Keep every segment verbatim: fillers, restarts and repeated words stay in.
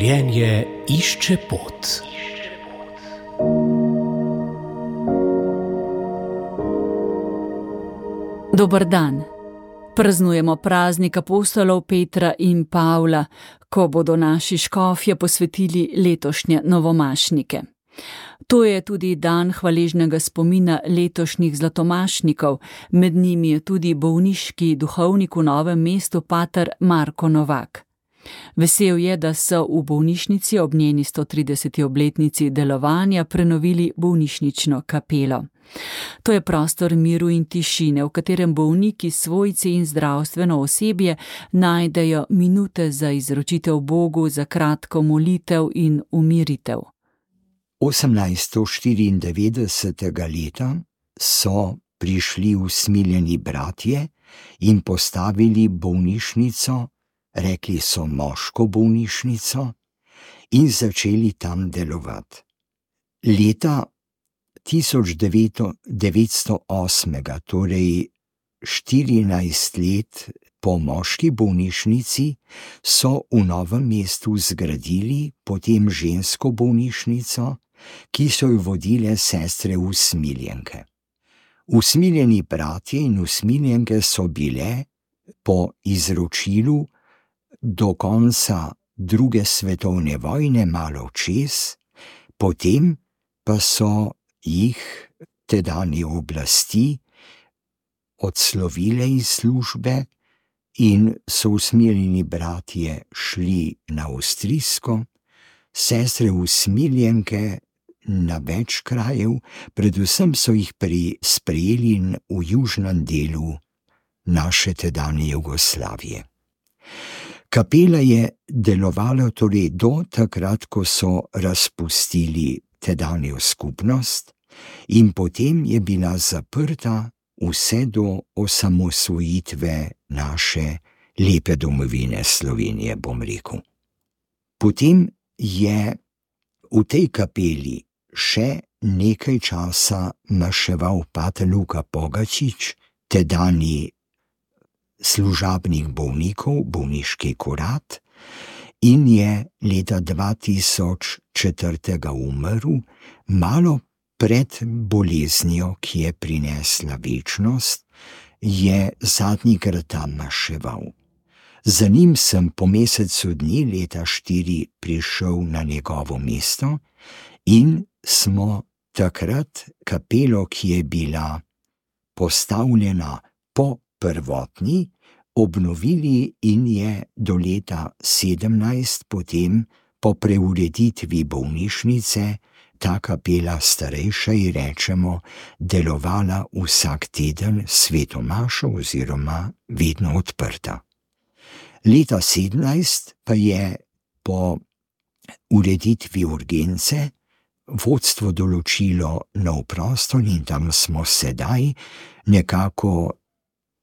Življenje išče pot. Dober dan. Praznujemo praznik apostolov Petra in Pavla, ko bodo naši škofje posvetili letošnje novomašnike. To je tudi dan hvaležnega spomina letošnjih zlatomašnikov, med njimi je tudi bolniški duhovnik v Novem mestu pater Marko Novak. Vesel je, da so v bolnišnici ob njeni sto trideseti obletnici delovanja prenovili bolnišnično kapelo. To je prostor miru in tišine, v katerem bolniki, svojci in zdravstveno osebje najdejo minute za izročitev Bogu, za kratko molitev in umiritev. osemnajststo štiriindevetdesetega leta so prišli usmiljeni bratje in postavili bolnišnico, rekli so moško bolnišnico, in začeli tam delovati. Leta tisoč devetsto osmega, torej štirinajst let po moški bolnišnici, so v Novem mestu zgradili potem žensko bolnišnico, ki so jo vodile sestre usmiljenke. Usmiljeni bratje in usmiljenke so bile po izročilu do konca druge svetovne vojne malo čez, potem pa so jih tedanje oblasti odslovile iz službe in so usmiljeni bratje šli na Avstrijsko, sestre usmiljenke na več krajev, predvsem so jih sprejeli v južnem delu naše tedanje Jugoslavije. Kapela je delovala torej do takrat, ko so razpustili tedanjo skupnost, in potem je bila zaprta vse do osamosvojitve naše lepe domovine Slovenije, bom rekel. Potem je v tej kapeli še nekaj časa maševal pater Luka Pogačič, tedanji služabnik bolnikov, bolniški kurat, in je leta dva tisoč četiri umrl, malo pred boleznijo, ki je prinesla večnost, je zadnjikrat tam maševal. Za njim sem po mesecu dni leta štiri prišel na njegovo mesto in smo takrat kapelo, ki je bila postavljena po prvotni, obnovili in je do leta sedemnajst potem po preureditvi bolnišnice ta kapela starejša, ji rečemo, delovala vsak teden sveto mašo oziroma vedno odprta. Leta sedemnajst pa je po ureditvi urgence vodstvo določilo nov prostor in tam smo sedaj, nekako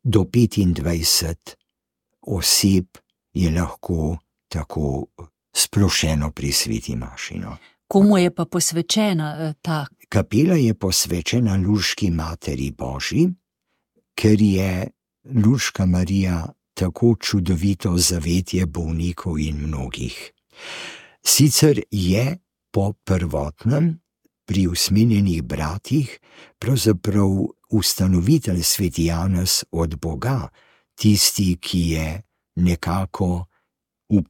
do petindvajset oseb je lahko tako splošeno pri sveti maši. Komu je pa posvečena ta? Kapela je posvečena Lurški Materi Božji, ker je Lurška Marija tako čudovito zavetje bolnikov in mnogih. Sicer je po prvotnem pri usmiljenih bratih pravzaprav ustanovitelj sveti Janez od Boga, tisti, ki je nekako v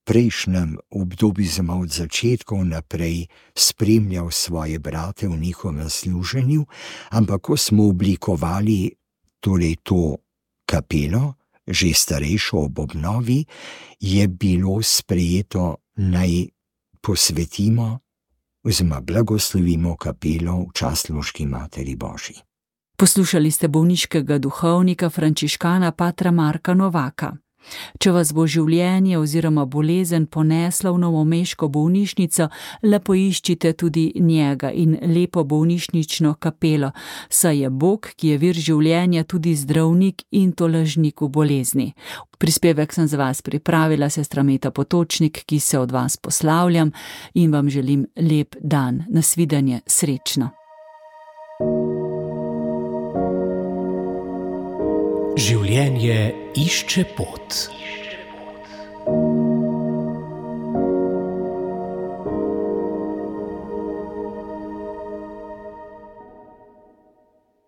prejšnjem obdobju, zelo od začetkov naprej, spremljal svoje brate v njihovem služenju, ampak ko smo oblikovali torej to kapelo, že starejšo ob obnovi, je bilo sprejeto, naj posvetimo oziroma blagoslovimo kapelo v čast Lurški Materi Božji. Poslušali ste bolniškega duhovnika frančiškana patra Marka Novaka. Če vas bo življenje oziroma bolezen ponesla v novomeško bolnišnico, le poiščite tudi njega in lepo bolnišnično kapelo, saj je Bog, ki je vir življenja, tudi zdravnik in tolažnik v bolezni. Prispevek sem za vas pripravila sestra Meta Potočnik, ki se od vas poslavljam in vam želim lep dan. Nasvidenje, srečno. Življenje išče pot.